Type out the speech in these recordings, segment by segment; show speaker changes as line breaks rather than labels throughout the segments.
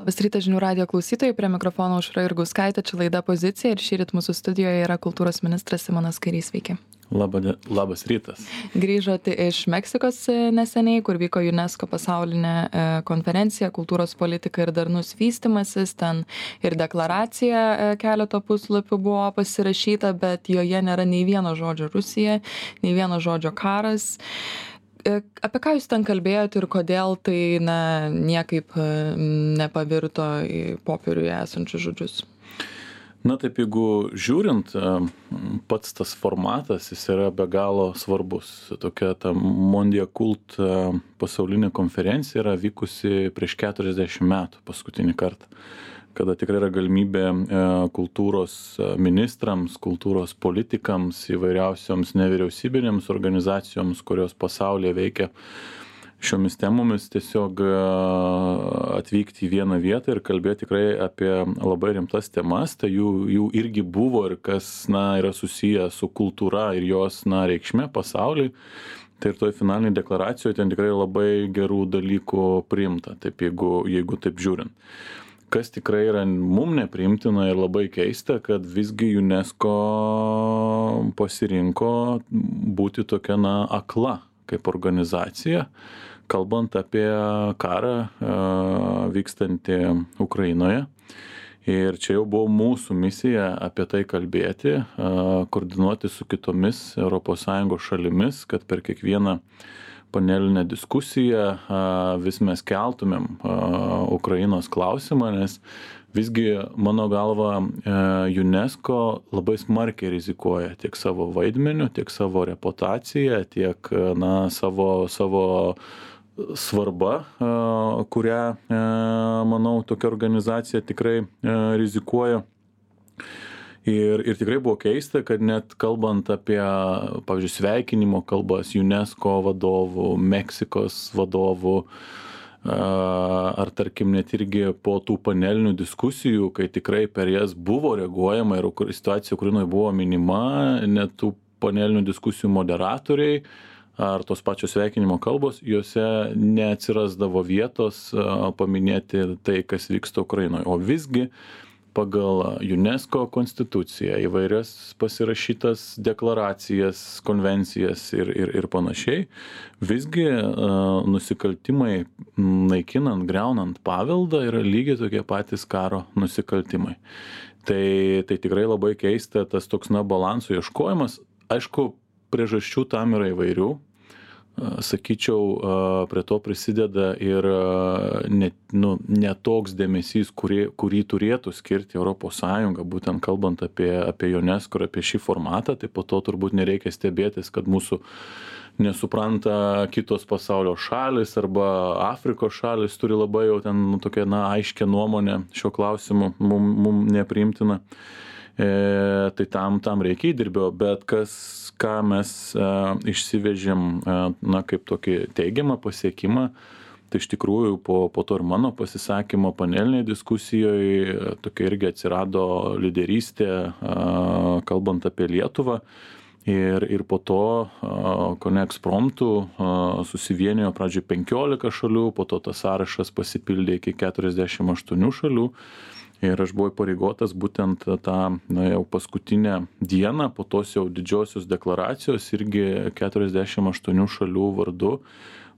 Labas rytas žinių radijo klausytojai, prie mikrofono Aušra Jurgauskaitė, čia laida Pozicija ir šįryt mūsų studijoje yra kultūros ministras Simonas Kairys. Sveiki.
Labas rytas.
Grįžote iš Meksikos neseniai, kur vyko UNESCO pasaulinė konferencija Kultūros politika ir darnus vystymasis. Ten ir deklaracija keleto puslapių buvo pasirašyta, bet joje nėra nei vieno žodžio Rusija, nei vieno žodžio karas. Apie ką jūs ten kalbėjote ir kodėl tai niekaip nepavirto į popieriuje esančius žodžius?
Na taip, jeigu žiūrint, pats tas formatas, jis yra be galo svarbus. Tokia ta Mondia Cult pasaulinė konferencija yra vykusi prieš 40 metų paskutinį kartą, kada tikrai yra galimybė kultūros ministrams, kultūros politikams, įvairiausioms nevyriausybinėms organizacijoms, kurios pasaulyje veikia šiomis temomis, tiesiog atvykti į vieną vietą ir kalbėti tikrai apie labai rimtas temas. Tai jų irgi buvo ir kas yra susiję su kultūra ir jos reikšme pasauliui. Tai ir toj finaliniai deklaracijoje ten tikrai labai gerų dalykų priimta, taip jeigu taip žiūrint. Kas tikrai yra mum nepriimtina ir labai keista, kad visgi UNESCO pasirinko būti tokia akla kaip organizacija, kalbant apie karą vykstantį Ukrainoje. Ir čia jau buvo mūsų misija apie tai kalbėti, koordinuoti su kitomis ES šalimis, kad per kiekvieną panelinę diskusiją vis mes keltumėm Ukrainos klausimą, nes visgi, mano galva, UNESCO labai smarkiai rizikuoja tiek savo vaidmeniu, tiek savo reputaciją, tiek savo svarba, kurią, manau, tokia organizacija tikrai rizikuoja. Ir tikrai buvo keista, kad net kalbant apie, pavyzdžiui, sveikinimo kalbas UNESCO vadovų, Meksikos vadovų, ar tarkim net irgi po tų panelinių diskusijų, kai tikrai per jas buvo reaguojama ir situacija Ukrainoje buvo minima, net tų panelinių diskusijų moderatoriai ar tos pačios sveikinimo kalbos, juose neatsirasdavo vietos paminėti tai, kas vyksta Ukrainoje. O visgi pagal UNESCO konstituciją, įvairias pasirašytas deklaracijas, konvencijas ir panašiai, visgi nusikaltimai naikinant, griaunant paveldą yra lygiai tokie patys karo nusikaltimai. Tai tikrai labai keista tas toks balansų ieškojimas. Aišku, priežasčių tam yra įvairių. Sakyčiau, prie to prisideda ir ne toks dėmesys, kurį turėtų skirti ES, būtent kalbant apie UNESCO ir apie šį formatą, tai po to turbūt nereikia stebėtis, kad mūsų nesupranta kitos pasaulio šalis arba Afrikos šalis turi labai jau ten tokią aiškę nuomonę šiuo klausimu, mum nepriimtina. Tai tam reikia įdirbio, bet ką mes išsivežėm kaip tokį teigiamą pasiekimą, tai iš tikrųjų po to ir mano pasisakymo panelinėje diskusijoje tokia irgi atsirado lyderystė, kalbant apie Lietuvą. Ir po to kone ekspromtu susivienijo pradžioj 15 šalių, po to tas sąrašas pasipildė iki 48 šalių. Ir aš buvau pareigotas būtent tą jau paskutinę dieną, po tos jau didžiosios deklaracijos irgi 48 šalių vardu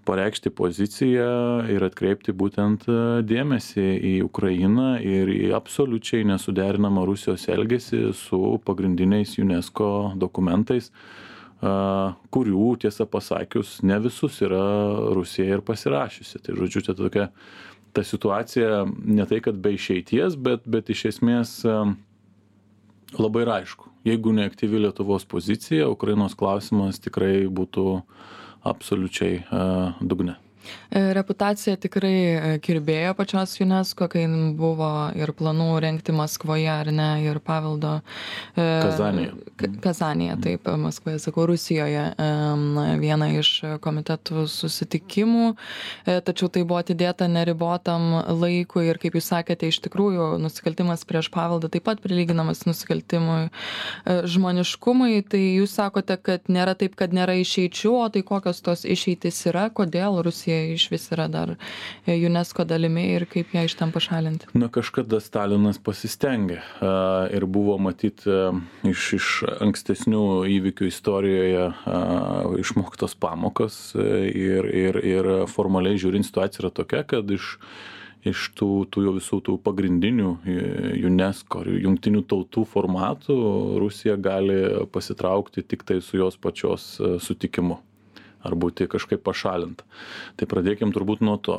pareikšti poziciją ir atkreipti būtent dėmesį į Ukrainą ir į absoliučiai nesuderinamą Rusijos elgesį su pagrindiniais UNESCO dokumentais, kurių, tiesą pasakius, ne visus yra Rusija ir pasirašiusi. Tai žodžiu, čia tokia ta situacija ne tai, kad be išeities, bet iš esmės labai aišku. Jeigu neaktyvi Lietuvos pozicija, Ukrainos klausimas tikrai būtų absoliučiai dugne.
Reputacija tikrai kirbėjo pačios UNESCO, kai buvo ir planų rengti Maskvoje, ar ne, ir paveldo Kazanėje, taip, Maskvoje, sakau, Rusijoje, viena iš komitetų susitikimų, tačiau tai buvo atidėta neribotam laikui ir, kaip jūs sakėte, iš tikrųjų nusikaltimas prieš paveldą taip pat prilyginamas nusikaltimui žmoniškumui. Tai jūs sakote, kad nėra taip, kad nėra išeičių, o tai kokios tos išeitys yra, kodėl Rusija Rusija išvis yra dar UNESCO dalimi ir kaip ją iš ten pašalinti?
Na, kažkada Stalinas pasistengė ir buvo matyti iš ankstesnių įvykių istorijoje išmoktos pamokos ir formaliai žiūrint situacija yra tokia, kad iš tų jau visų tų pagrindinių UNESCO ir jungtinių tautų formatų Rusija gali pasitraukti tik tai su jos pačios sutikimu ar būti kažkaip pašalinta. Tai pradėkim turbūt nuo to.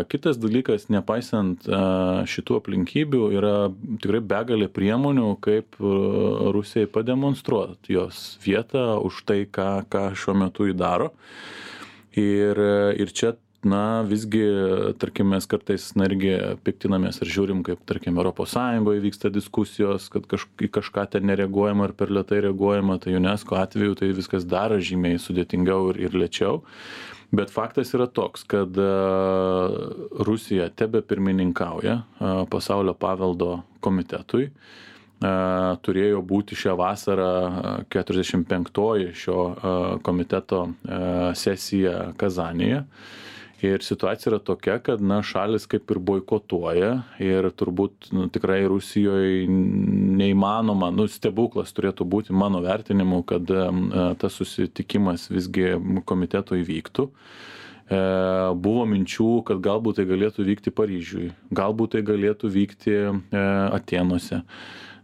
Kitas dalykas, nepaisant šitų aplinkybių, yra tikrai begalė priemonių, kaip Rusijai pademonstruoti jos vietą už tai, ką šiuo metu įdaro. Ir čia visgi, tarkim, mes kartais irgi piktinamės ir žiūrim, kaip, tarkim, ES vyksta diskusijos, kad kažką ten nereaguojama ar per lėtai reaguojama, tai UNESCO atveju tai viskas dar žymiai sudėtingiau ir lėčiau. Bet faktas yra toks, kad Rusija tebe pirmininkauja pasaulio paveldo komitetui. Turėjo būti šią vasarą 45-oji šio komiteto sesija Kazanėje. Ir situacija yra tokia, kad šalis kaip ir boikotuoja ir turbūt tikrai Rusijoje neįmanoma, stebuklas turėtų būti mano vertinimu, kad tas susitikimas visgi komiteto įvyktų. Buvo minčių, kad galbūt tai galėtų vykti Paryžiui, galbūt tai galėtų vykti Atėnuose.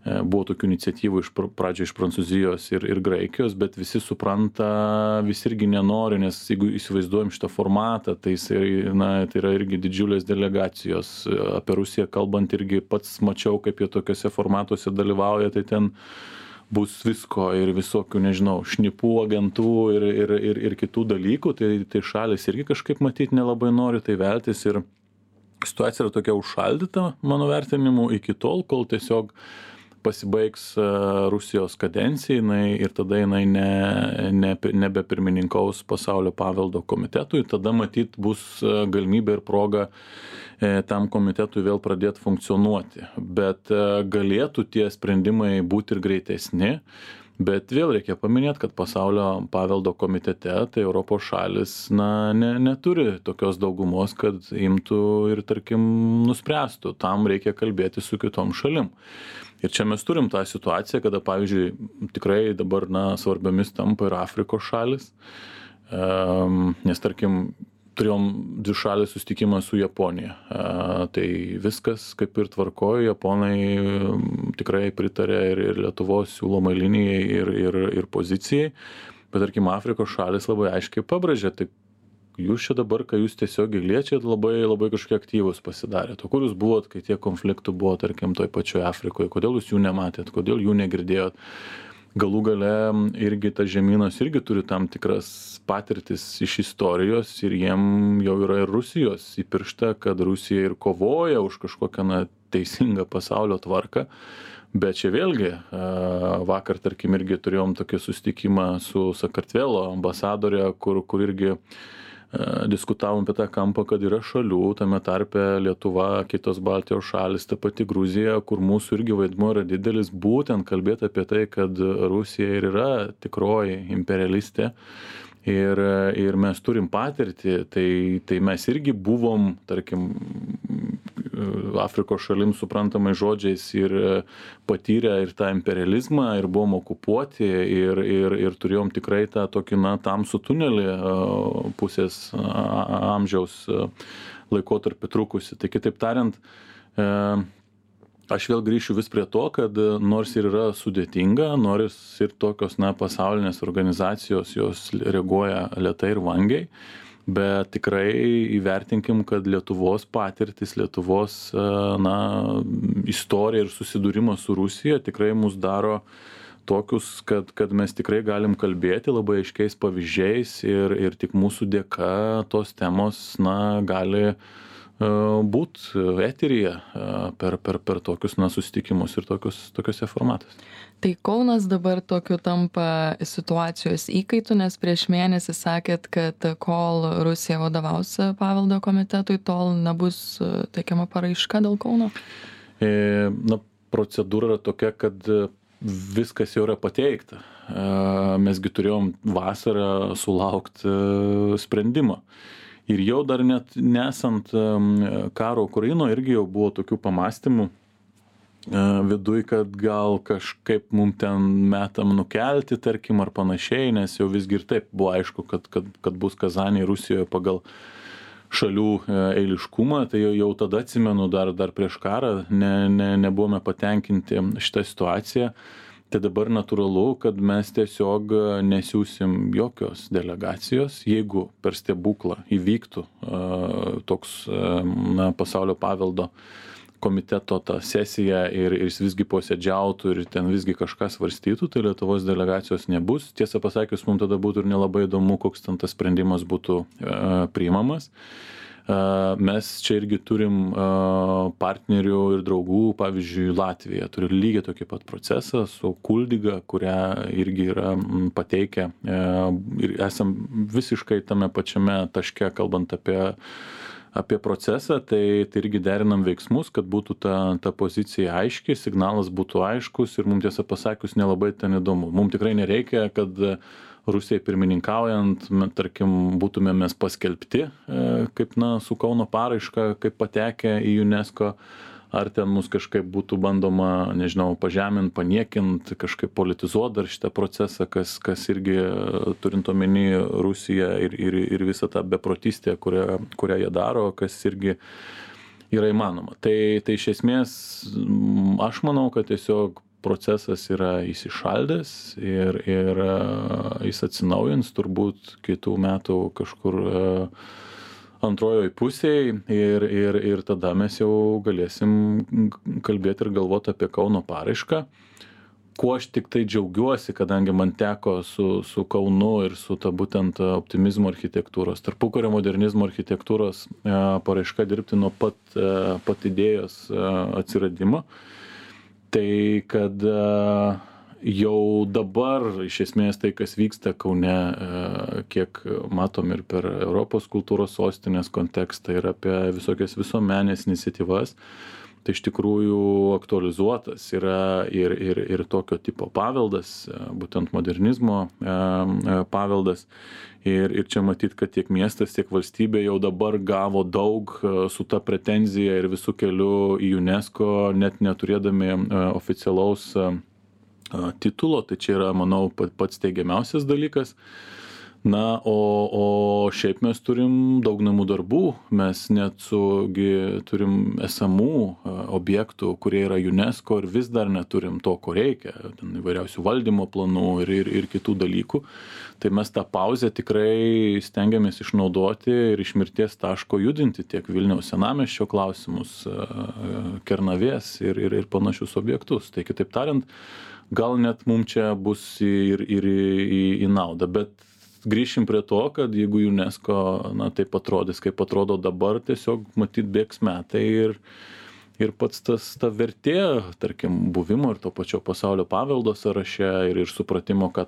Buvo tokių iniciatyvų pradžio iš Prancūzijos ir Graikijos, bet visi supranta, visi irgi nenori, nes jeigu įsivaizduojam šitą formatą, tai tai yra irgi didžiulės delegacijos. Apie Rusiją kalbant irgi pats mačiau, kaip jie tokiuose formatuose dalyvauja, tai ten bus visko ir visokių, nežinau, šnipų, agentų ir kitų dalykų, tai šalis irgi kažkaip matyti nelabai nori tai veltis ir situacija yra tokia užšaldyta, mano vertinimu, iki tol, kol tiesiog pasibaigs Rusijos kadencija ir tada jinai nebepirmininkaus pasaulio paveldo komitetui, tada matyt bus galimybė ir proga tam komitetui vėl pradėti funkcionuoti. Bet galėtų tie sprendimai būti ir greitesni, bet vėl reikia paminėti, kad pasaulio paveldo komitete tai Europos šalis neturi tokios daugumos, kad imtų ir, tarkim, nuspręstų. Tam reikia kalbėti su kitom šalim. Ir čia mes turim tą situaciją, kada, pavyzdžiui, tikrai dabar svarbiomis tampa ir Afrikos šalis, nes, tarkim, turėjom dvišalį susitikimą su Japonija. Tai viskas kaip ir tvarkojo, japonai tikrai pritarė ir Lietuvos siūlomai linijai ir pozicijai, bet, tarkim, Afrikos šalis labai aiškiai pabrėžė, tai jūs čia dabar, kai jūs tiesiogiai liečiat, labai kažkokie aktyvūs pasidarėt. O kur jūs buvot, kai tie konfliktų buvo, tarkim, toj pačioje Afrikoje? Kodėl jūs jų nematėt? Kodėl jų negirdėjot? Galų gale irgi tas žemynas irgi turi tam tikras patirtis iš istorijos ir jiem jau yra ir Rusijos įpiršta, kad Rusija ir kovoja už kažkokią teisingą pasaulio tvarką. Bet čia vėlgi, vakar, tarkim, irgi turėjom tokį susitikimą su Sakartvelo ambasadorė, kur irgi diskutavom apie tą kampą, kad yra šalių, tame tarpe Lietuva, kitos Baltijos šalis, ta pati Gruzija, kur mūsų irgi vaidmuo yra didelis, būtent kalbėti apie tai, kad Rusija ir yra tikroji imperialistė ir mes turim patirtį, tai mes irgi buvom, tarkim, Afrikos šalim suprantamai žodžiais ir patyrę ir tą imperializmą ir buvom okupuoti ir turėjom tikrai tą tokį tamsų tunelį pusės amžiaus laikotarpį trukusi. Tai kitaip tariant, aš vėl grįšiu vis prie to, kad nors ir yra sudėtinga, nors ir tokios pasaulinės organizacijos jos reaguoja lėtai ir vangiai, bet tikrai įvertinkim, kad Lietuvos patirtis, Lietuvos istorija ir susidūrimas su Rusija tikrai mus daro tokius, kad mes tikrai galim kalbėti labai aiškiais pavyzdžiais ir tik mūsų dėka tos temos gali būt eteryje per tokius susitikimus ir tokiuose formatuose.
Tai Kaunas dabar tokiu tampa situacijos įkaitu, nes prieš mėnesį sakėt, kad kol Rusija vadovaus paveldo komitetui, tol nebus teikiama paraiška dėl Kauno?
Procedūra yra tokia, kad viskas jau yra pateikta. Mesgi turėjom vasarą sulaukti sprendimo. Ir jau dar net nesant karo Ukrainoje irgi jau buvo tokių pamastymų viduj, kad gal kažkaip mum ten metam nukelti, tarkim, ar panašiai, nes jau visgi ir taip buvo aišku, kad bus Kazanėje Rusijoje pagal šalių eiliškumą, tai jau tada atsimenu dar prieš karą nebuvome patenkinti šitą situaciją. Tai dabar natūralu, kad mes tiesiog nesiūsim jokios delegacijos, jeigu per stebuklą įvyktų toks pasaulio paveldo komiteto ta sesija ir jis visgi posėdžiautų ir ten visgi kažką svarstytų, tai Lietuvos delegacijos nebus. Tiesą pasakius, mums tada būtų ir nelabai įdomu, koks ten tas sprendimas būtų priimamas. Mes čia irgi turim partnerių ir draugų, pavyzdžiui, Latvija turi lygiai tokį pat procesą su Kuldyga, kurią irgi yra pateikę ir esam visiškai tame pačiame taške, kalbant apie procesą, tai irgi derinam veiksmus, kad būtų ta pozicija aiški, signalas būtų aiškus ir mums tiesą pasakius nelabai ten įdomu. Mums tikrai nereikia, kad Rusijai pirmininkaujant, tarkim, būtume mes paskelbti, kaip su Kauno paraiška, kaip patekę į UNESCO, ar ten mus kažkaip būtų bandoma, nežinau, pažemint, paniekint, kažkaip politizuot dar šitą procesą, kas irgi turint omeny Rusiją ir visą tą beprotystę, kurią jie daro, kas irgi yra įmanoma. Tai iš esmės aš manau, kad tiesiog procesas yra įsišaldęs ir jis atsinaujins turbūt kitų metų kažkur antrojoj pusėj ir tada mes jau galėsim kalbėti ir galvoti apie Kauno paraišką. Kuo aš tik tai džiaugiuosi, kadangi man teko su Kaunu ir su ta būtent optimizmo architektūros, tarpukario modernizmo architektūros paraiška dirbti nuo pat idėjos atsiradimo. Tai kad jau dabar iš esmės tai, kas vyksta Kaune, kiek matom ir per Europos kultūros sostinės kontekstą ir apie visokias visuomenės iniciatyvas, tai iš tikrųjų aktualizuotas yra ir tokio tipo paveldas, būtent modernizmo paveldas. Ir čia matyt, kad tiek miestas, tiek valstybė jau dabar gavo daug su ta pretenzija ir visų kelių į UNESCO, net neturėdami oficialaus titulo, tai čia yra, manau, pats teigiamiausias dalykas. Na, o šiaip mes turim daug namų darbų, mes net turim esamų objektų, kurie yra UNESCO ir vis dar neturim to, ko reikia, ten įvairiausių valdymo planų ir kitų dalykų. Tai mes tą pauzę tikrai stengiamės išnaudoti ir iš mirties taško judinti tiek Vilniaus senamiesčio klausimus, Kernavės ir panašius objektus. Tai kitaip tariant, gal net mums čia bus ir į naudą, bet grįšim prie to, kad jeigu UNESCO taip atrodys, kaip atrodo dabar, tiesiog matyt bėgs metai ir pats ta vertė, tarkim, buvimo ir to pačio pasaulio paveldo sąraše ir supratimo, ką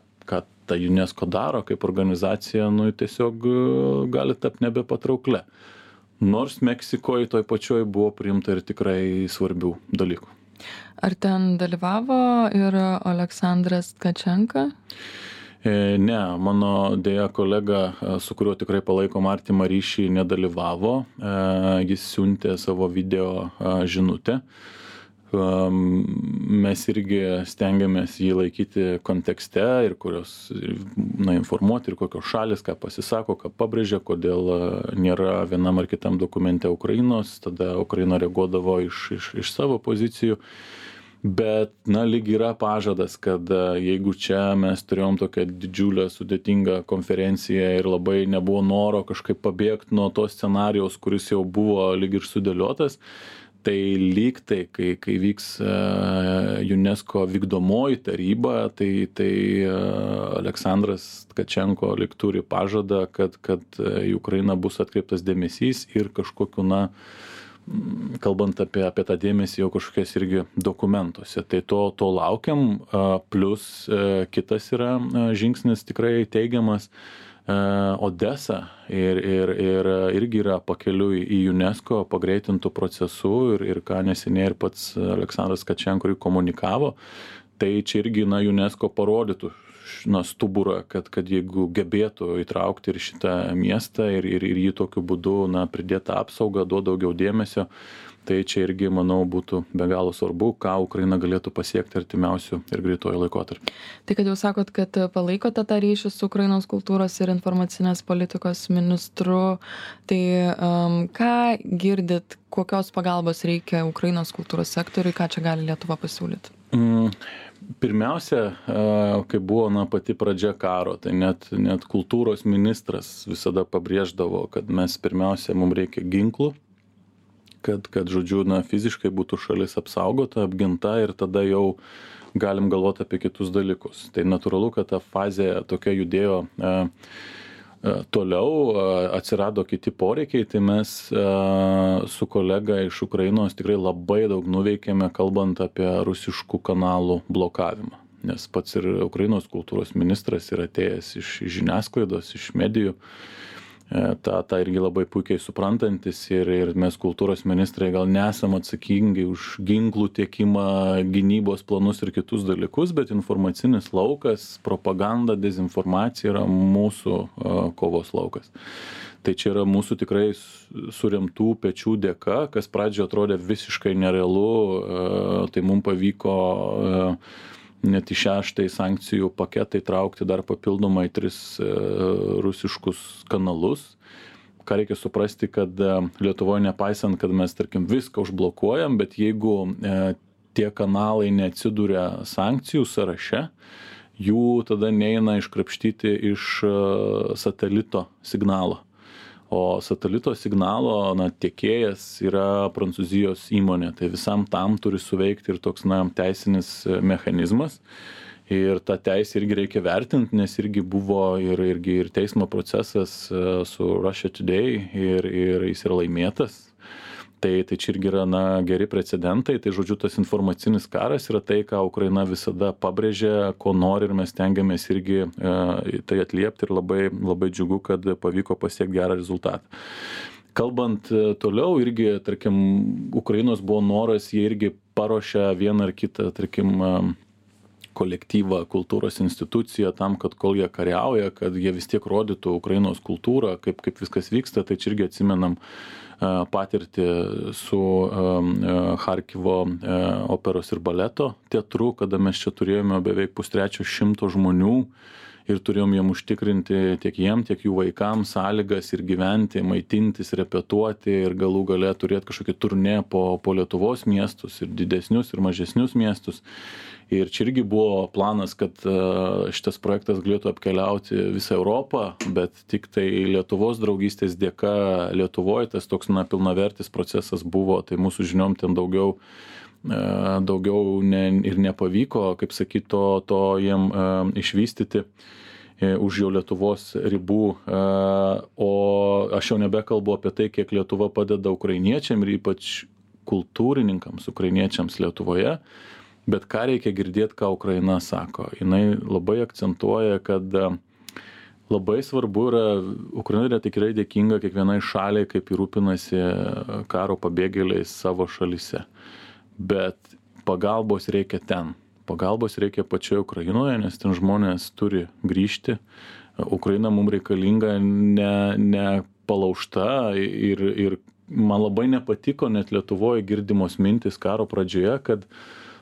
ta UNESCO daro kaip organizacija, tiesiog gali tapti nebepatrauklia. Nors Meksikoje toj pačioj buvo priimta ir tikrai svarbių dalykų.
Ar ten dalyvavo ir Aleksandras Tkačenka?
Ne, mano dėja kolega, su kuriuo tikrai palaikom artimą ryšį, nedalyvavo. Jis siuntė savo video žinutę. Mes irgi stengiamės jį laikyti kontekste ir informuoti ir kokios šalis, ką pasisako, ką pabrėžia, kodėl nėra vienam ar kitam dokumente Ukrainos, tada Ukraina reaguodavo iš savo pozicijų. Bet, lyg yra pažadas, kad jeigu čia mes turėjom tokią didžiulę, sudėtingą konferenciją ir labai nebuvo noro kažkaip pabėgti nuo to scenarijaus, kuris jau buvo lyg ir sudėliotas, tai lyg tai, kai vyks UNESCO vykdomoji taryba, tai Aleksandras Tkačenko lyg turi pažadą, kad į Ukrainą bus atkreiptas dėmesys ir kažkokiu, kalbant apie tą dėmesį jau kažkokias irgi dokumentuose. Tai to laukiam, plus kitas yra žingsnis tikrai teigiamas. Odesa ir irgi yra pakeliui į UNESCO pagreitintų procesų ir ką neseniai ir pats Aleksandras Tkačenko komunikavo, tai čia irgi UNESCO parodytų stuburą, kad jeigu gebėtų įtraukti ir šitą miestą ir jį tokiu būdu pridėti apsaugą, duoti daugiau dėmesio, tai čia irgi, manau, būtų be galo svarbu, ką Ukraina galėtų pasiekti artimiausių ir greitojo laikotarpį.
Tai kad jau sakot, kad palaikote tą ryšį su Ukrainos kultūros ir informacinės politikos ministru, tai ką girdit, kokios pagalbos reikia Ukrainos kultūros sektoriui, ką čia gali Lietuva pasiūlyti?
Pirmiausia, kai buvo pati pradžia karo, tai net kultūros ministras visada pabrėždavo, kad mes pirmiausia, mums reikia ginklų, kad žodžiu, fiziškai būtų šalis apsaugota, apginta ir tada jau galim galvoti apie kitus dalykus. Tai natūralu, kad ta fazė tokia judėjo toliau, atsirado kiti poreikiai, tai mes su kolega iš Ukrainos tikrai labai daug nuveikėme, kalbant apie rusiškų kanalų blokavimą. Nes pats ir Ukrainos kultūros ministras yra atėjęs iš žiniasklaidos, iš medijų. Ta irgi labai puikiai suprantantis ir mes kultūros ministrai gal nesam atsakingi už ginklų tiekimą, gynybos planus ir kitus dalykus, bet informacinis laukas, propaganda, dezinformacija yra mūsų kovos laukas. Tai čia yra mūsų tikrai suremtų pečių dėka, kas pradžioje atrodė visiškai nerealu, tai mums pavyko net į 6 sankcijų paketą įtraukti dar papildomai 3 rusiškus kanalus. Ką reikia suprasti, kad Lietuvoje nepaisant, kad mes, tarkim, viską užblokuojam, bet jeigu tie kanalai neatsiduria sankcijų sąraše, jų tada neina iškrapštyti iš satelito signalo. O satelito signalo tiekėjas yra Prancūzijos įmonė, tai visam tam turi suveikti ir toks teisinis mechanizmas. Ir tą teisę irgi reikia vertinti, nes irgi buvo ir teismo procesas su Russia Today ir jis yra laimėtas. Tai čia irgi yra geri precedentai, tai žodžiu tas informacinis karas yra tai, ką Ukraina visada pabrėžia, ko nori ir mes tengiamės irgi tai atliepti ir labai, labai džiugu, kad pavyko pasiekti gerą rezultatą. Kalbant toliau, irgi, tarkim, Ukrainos buvo noras, jie irgi paruošia vieną ar kitą, tarkim, kolektyvą, kultūros instituciją tam, kad kol jie kariauja, kad jie vis tiek rodytų Ukrainos kultūrą, kaip viskas vyksta, tai čia irgi atsimenam patirtį su Charkivo operos ir baleto teatru, kada mes čia turėjome beveik 100 žmonių ir turėjom jiem užtikrinti tiek jiem, tiek jų vaikams sąlygas ir gyventi, maitintis, repetuoti ir galų gale turėti kažkokį turnė po Lietuvos miestus ir didesnius ir mažesnius miestus. Ir čia irgi buvo planas, kad šitas projektas galėtų apkeliauti visą Europą, bet tik tai Lietuvos draugystės dėka Lietuvoje tas toks pilnavertis procesas buvo, tai mūsų žiniom ten daugiau ir nepavyko, kaip sakyti, to jiem išvystyti už jau Lietuvos ribų. O aš jau nebekalbu apie tai, kiek Lietuva padeda ukrainiečiam ir ypač kultūrininkams ukrainiečiams Lietuvoje. Bet ką reikia girdėti, ką Ukraina sako. Jinai labai akcentuoja, kad labai svarbu yra, Ukraina yra tikrai dėkinga kiekvienai šaliai, kaip rūpinasi karo pabėgėliais savo šalyse. Bet pagalbos reikia ten. Pagalbos reikia pačioje Ukrainoje, nes ten žmonės turi grįžti. Ukraina mums reikalinga ne palaužta ir man labai nepatiko net Lietuvoje girdimos mintis karo pradžioje, kad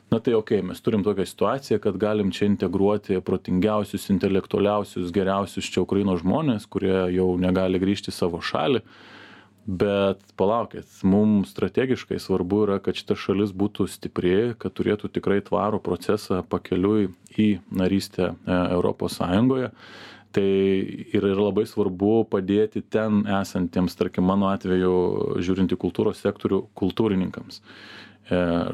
tai mes turim tokią situaciją, kad galim čia integruoti protingiausius, intelektualiausius, geriausius čia Ukrainos žmonės, kurie jau negali grįžti į savo šalį. Bet palaukit, mums strategiškai svarbu yra, kad šita šalis būtų stipri, kad turėtų tikrai tvarų procesą pakeliui į narystę Europos Sąjungoje. Tai yra labai svarbu padėti ten esantiems, tarkim, mano atveju, žiūrint į kultūros sektorių, kultūrininkams,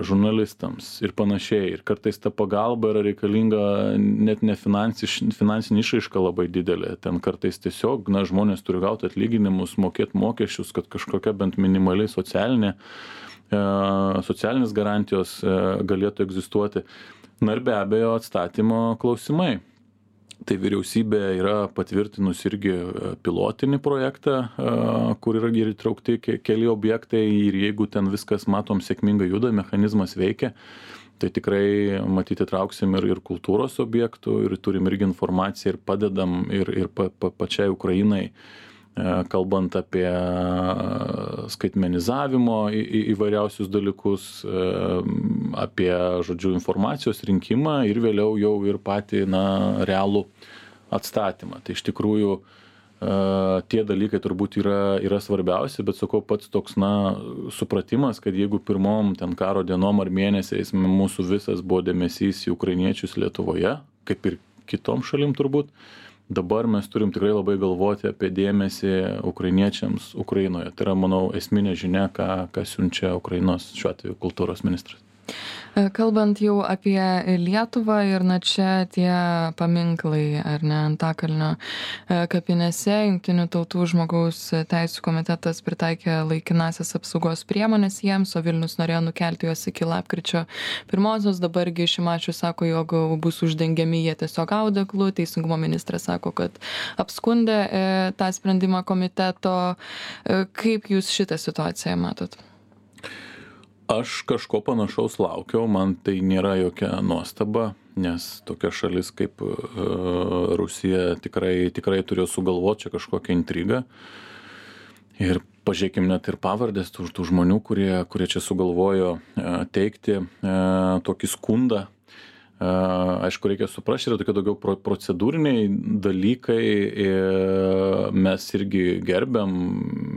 žurnalistams ir panašiai. Ir kartais ta pagalba yra reikalinga net ne finansinė išraiška labai didelė. Ten kartais tiesiog žmonės turi gauti atlyginimus, mokėti mokesčius, kad kažkokia bent minimaliai socialinės garantijos galėtų egzistuoti. Ir be abejo atstatymo klausimai. Tai vyriausybė yra patvirtinus irgi pilotinį projektą, kur yra ir įtraukti keli objektai ir jeigu ten viskas, matom, sėkmingai juda, mechanizmas veikia, Tai tikrai matyti trauksim ir kultūros objektų ir turim irgi informaciją ir padedam ir pačiai Ukrainai, kalbant apie skaitmenizavimo įvairiausius dalykus, apie, žodžiu, informacijos rinkimą ir vėliau jau ir patį, realų atstatymą. Tai iš tikrųjų tie dalykai turbūt yra svarbiausi, bet sakau, pats toks, supratimas, kad jeigu pirmom ten karo dienom ar mėnesiais mūsų visas buvo dėmesys į ukrainiečius Lietuvoje, kaip ir kitom šalim turbūt, dabar mes turim tikrai labai galvoti apie dėmesį ukrainiečiams Ukrainoje. Tai yra, manau, esminė žinia, ką siunčia Ukrainos šiuo atveju kultūros ministras.
Kalbant jau apie Lietuvą ir čia tie paminklai, ar ne, Antakalnio kapinėse, Jungtinių tautų žmogaus teisių komitetas pritaikė laikinasias apsaugos priemonės jiems, o Vilnius norėjo nukelti juos iki lapkričio 1. Dabargi Šimašius sako, jog bus uždengiami jie tiesiog audeklu. Teisingumo ministras sako, kad apskundė tą sprendimą komiteto. Kaip jūs šitą situaciją matot?
Aš kažko panašaus laukiau, man tai nėra jokia nuostaba, nes tokia šalis kaip Rusija tikrai turėjo sugalvoti čia kažkokią intrigą. Ir pažiūrėkim net ir pavardės tų žmonių, kurie čia sugalvojo teikti tokį skundą. Aišku, reikia suprasti, yra tokie daugiau procedūriniai dalykai, mes irgi gerbiam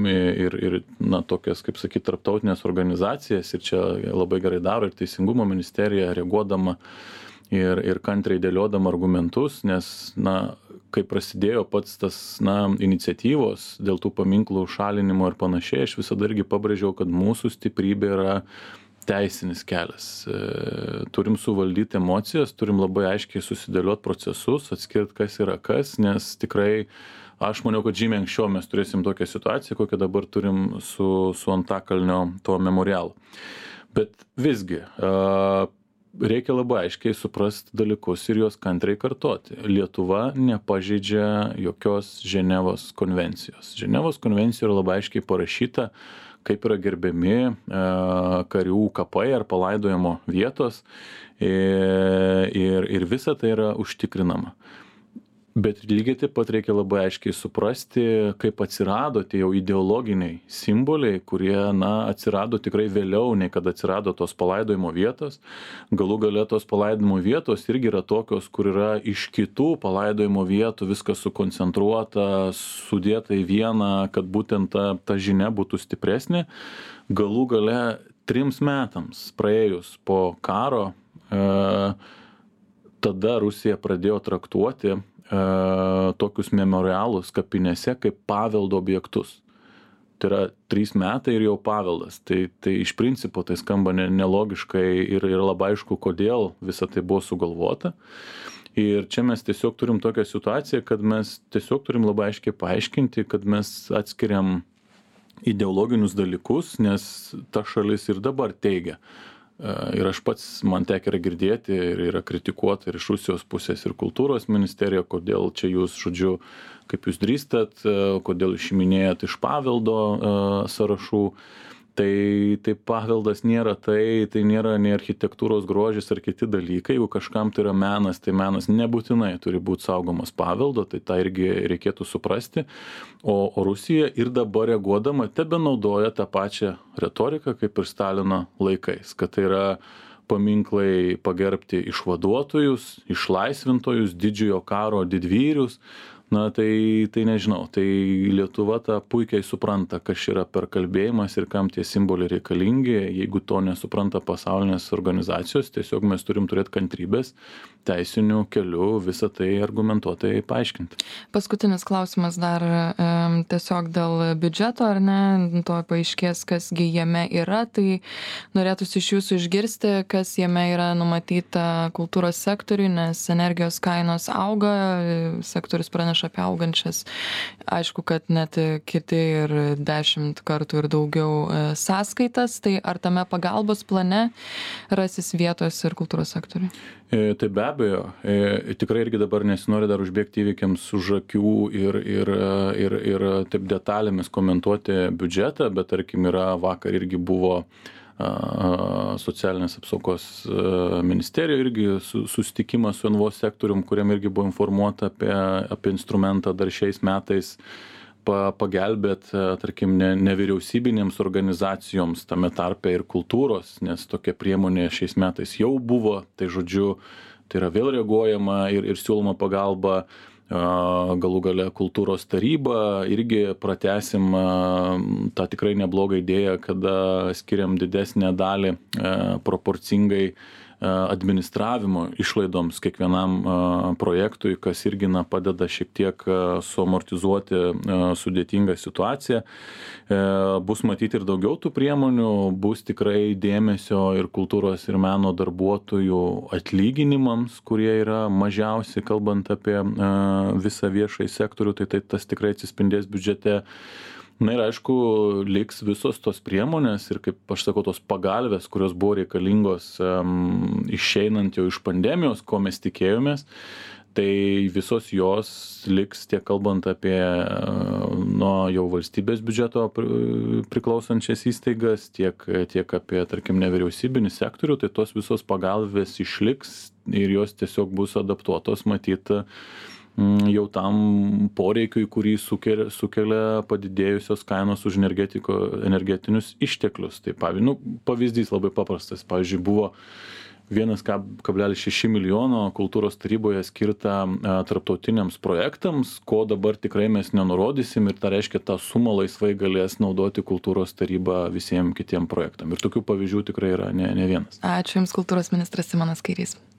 ir tokias, kaip sakyti, tarptautinės organizacijas, ir čia labai gerai daro ir Teisingumo ministerija, reaguodama ir kantriai dėliodama argumentus, nes, kai prasidėjo pats tas, iniciatyvos dėl tų paminklų šalinimo ir panašiai, aš visada irgi pabrėžiau, kad mūsų stiprybė yra teisinis kelias. Turim suvaldyti emocijas, turim labai aiškiai susidėlioti procesus, atskirti, kas yra kas, nes tikrai aš maniau, kad žymiai anksčiau mes turėsim tokią situaciją, kokią dabar turim su Antakalnio to memorialu. Bet visgi, reikia labai aiškiai suprasti dalykus ir juos kantriai kartoti. Lietuva nepažeidžia jokios Ženevos konvencijos. Ženevos konvencijoje yra labai aiškiai parašyta, kaip yra gerbiami karių kapai ar palaidojimo vietos, ir visa tai yra užtikrinama. Bet lygiai taip pat reikia labai aiškiai suprasti, kaip atsirado tie jau ideologiniai simboliai, kurie, atsirado tikrai vėliau, nei kad atsirado tos palaidojimo vietos. Galų gale tos palaidojimo vietos irgi yra tokios, kur yra iš kitų palaidojimo vietų viskas sukoncentruota, sudėta į vieną, kad būtent ta žinia būtų stipresnė. Galų gale 3 metams praėjus po karo, tada Rusija pradėjo traktuoti tokius memorialus kapinėse kaip paveldo objektus. Tai yra 3 metai ir jau paveldas. Tai iš principo tai skamba nelogiškai ir labai aišku, kodėl visa tai buvo sugalvota. Ir čia mes tiesiog turim tokią situaciją, kad mes tiesiog turim labai aiškiai paaiškinti, kad mes atskiriam ideologinius dalykus, nes ta šalis ir dabar teigia. Ir aš pats, man tekia yra girdėti ir yra kritikuota ir iš Rusijos pusės ir kultūros ministerija, kodėl čia jūs, žodžiu, kaip jūs drįstat, kodėl išiminėjat iš paveldo sąrašų. Tai paveldas nėra tai nėra nei architektūros grožis ar kiti dalykai. Jeigu kažkam tai yra menas, tai menas nebūtinai turi būti saugomas paveldo, tai tą irgi reikėtų suprasti. O Rusija ir dabar reaguodama tebenaudoja tą pačią retoriką kaip ir Stalino laikais, kad tai yra paminklai pagerbti išvaduotojus, išlaisvintojus, didžiojo karo didvyrius. Tai nežinau, tai Lietuva tą puikiai supranta, kas yra per kalbėjimas ir kam tie simboliai reikalingi. Jeigu to nesupranta pasaulinės organizacijos, tiesiog mes turim turėti kantrybės teisinių kelių visą tai argumentuotai paaiškinti.
Paskutinis klausimas dar tiesiog dėl biudžeto, ar ne, to paaiškės, kasgi jame yra, tai norėtųsi iš jūsų išgirsti, kas jame yra numatyta kultūros sektoriui, nes energijos kainos auga, sektorius praneša apie augančias, aišku, kad net kiti ir 10 kartų ir daugiau sąskaitas, tai ar tame pagalbos plane rasis vietos ir kultūros sektoriui?
Tai be abejo, tikrai irgi dabar nesinori dar užbėgti įvykiams už akių ir taip detalėmis komentuoti biudžetą, bet tarkim vakar irgi buvo socialinės apsaugos ministerija irgi susitikimas su NVO sektorium, kuriam irgi buvo informuota apie instrumentą dar šiais metais pagelbėt, tarkim, nevyriausybinėms organizacijoms, tame tarpe ir kultūros, nes tokia priemonė šiais metais jau buvo, tai žodžiu, tai yra vėl reaguojama ir siūloma pagalba. Galų gale kultūros taryba irgi pratęsim tą tikrai neblogą idėją, kada skiriam didesnę dalį proporcingai administravimo išlaidoms kiekvienam projektui, kas irgi padeda šiek tiek suamortizuoti sudėtingą situaciją. Bus matyti ir daugiau tų priemonių, bus tikrai dėmesio ir kultūros ir meno darbuotojų atlyginimams, kurie yra mažiausi, kalbant apie visą viešąjį sektorių, tai tas tikrai atsispindės biudžete. Na ir aišku, liks visos tos priemonės ir, kaip aš sakau, tos pagalvės, kurios buvo reikalingos išeinant jau iš pandemijos, ko mes tikėjomės, tai visos jos liks tiek kalbant apie nuo jau valstybės biudžeto priklausančias įstaigas, tiek apie, tarkim, nevyriausybinį sektorių, tai tos visos pagalvės išliks ir jos tiesiog bus adaptuotos, matyti, jau tam poreikiui, kurį sukelia padidėjusios kainos už energetinius išteklius. Tai pavyzdys labai paprastas. Pavyzdžiui, buvo 1,6 milijono kultūros taryboje skirta tarptautiniams projektams, ko dabar tikrai mes nenurodysim ir tai reiškia, tą sumą laisvai galės naudoti kultūros taryba visiems kitiem projektam. Ir tokių pavyzdžių tikrai yra ne vienas.
Ačiū Jums, kultūros ministras Simonas Kairys.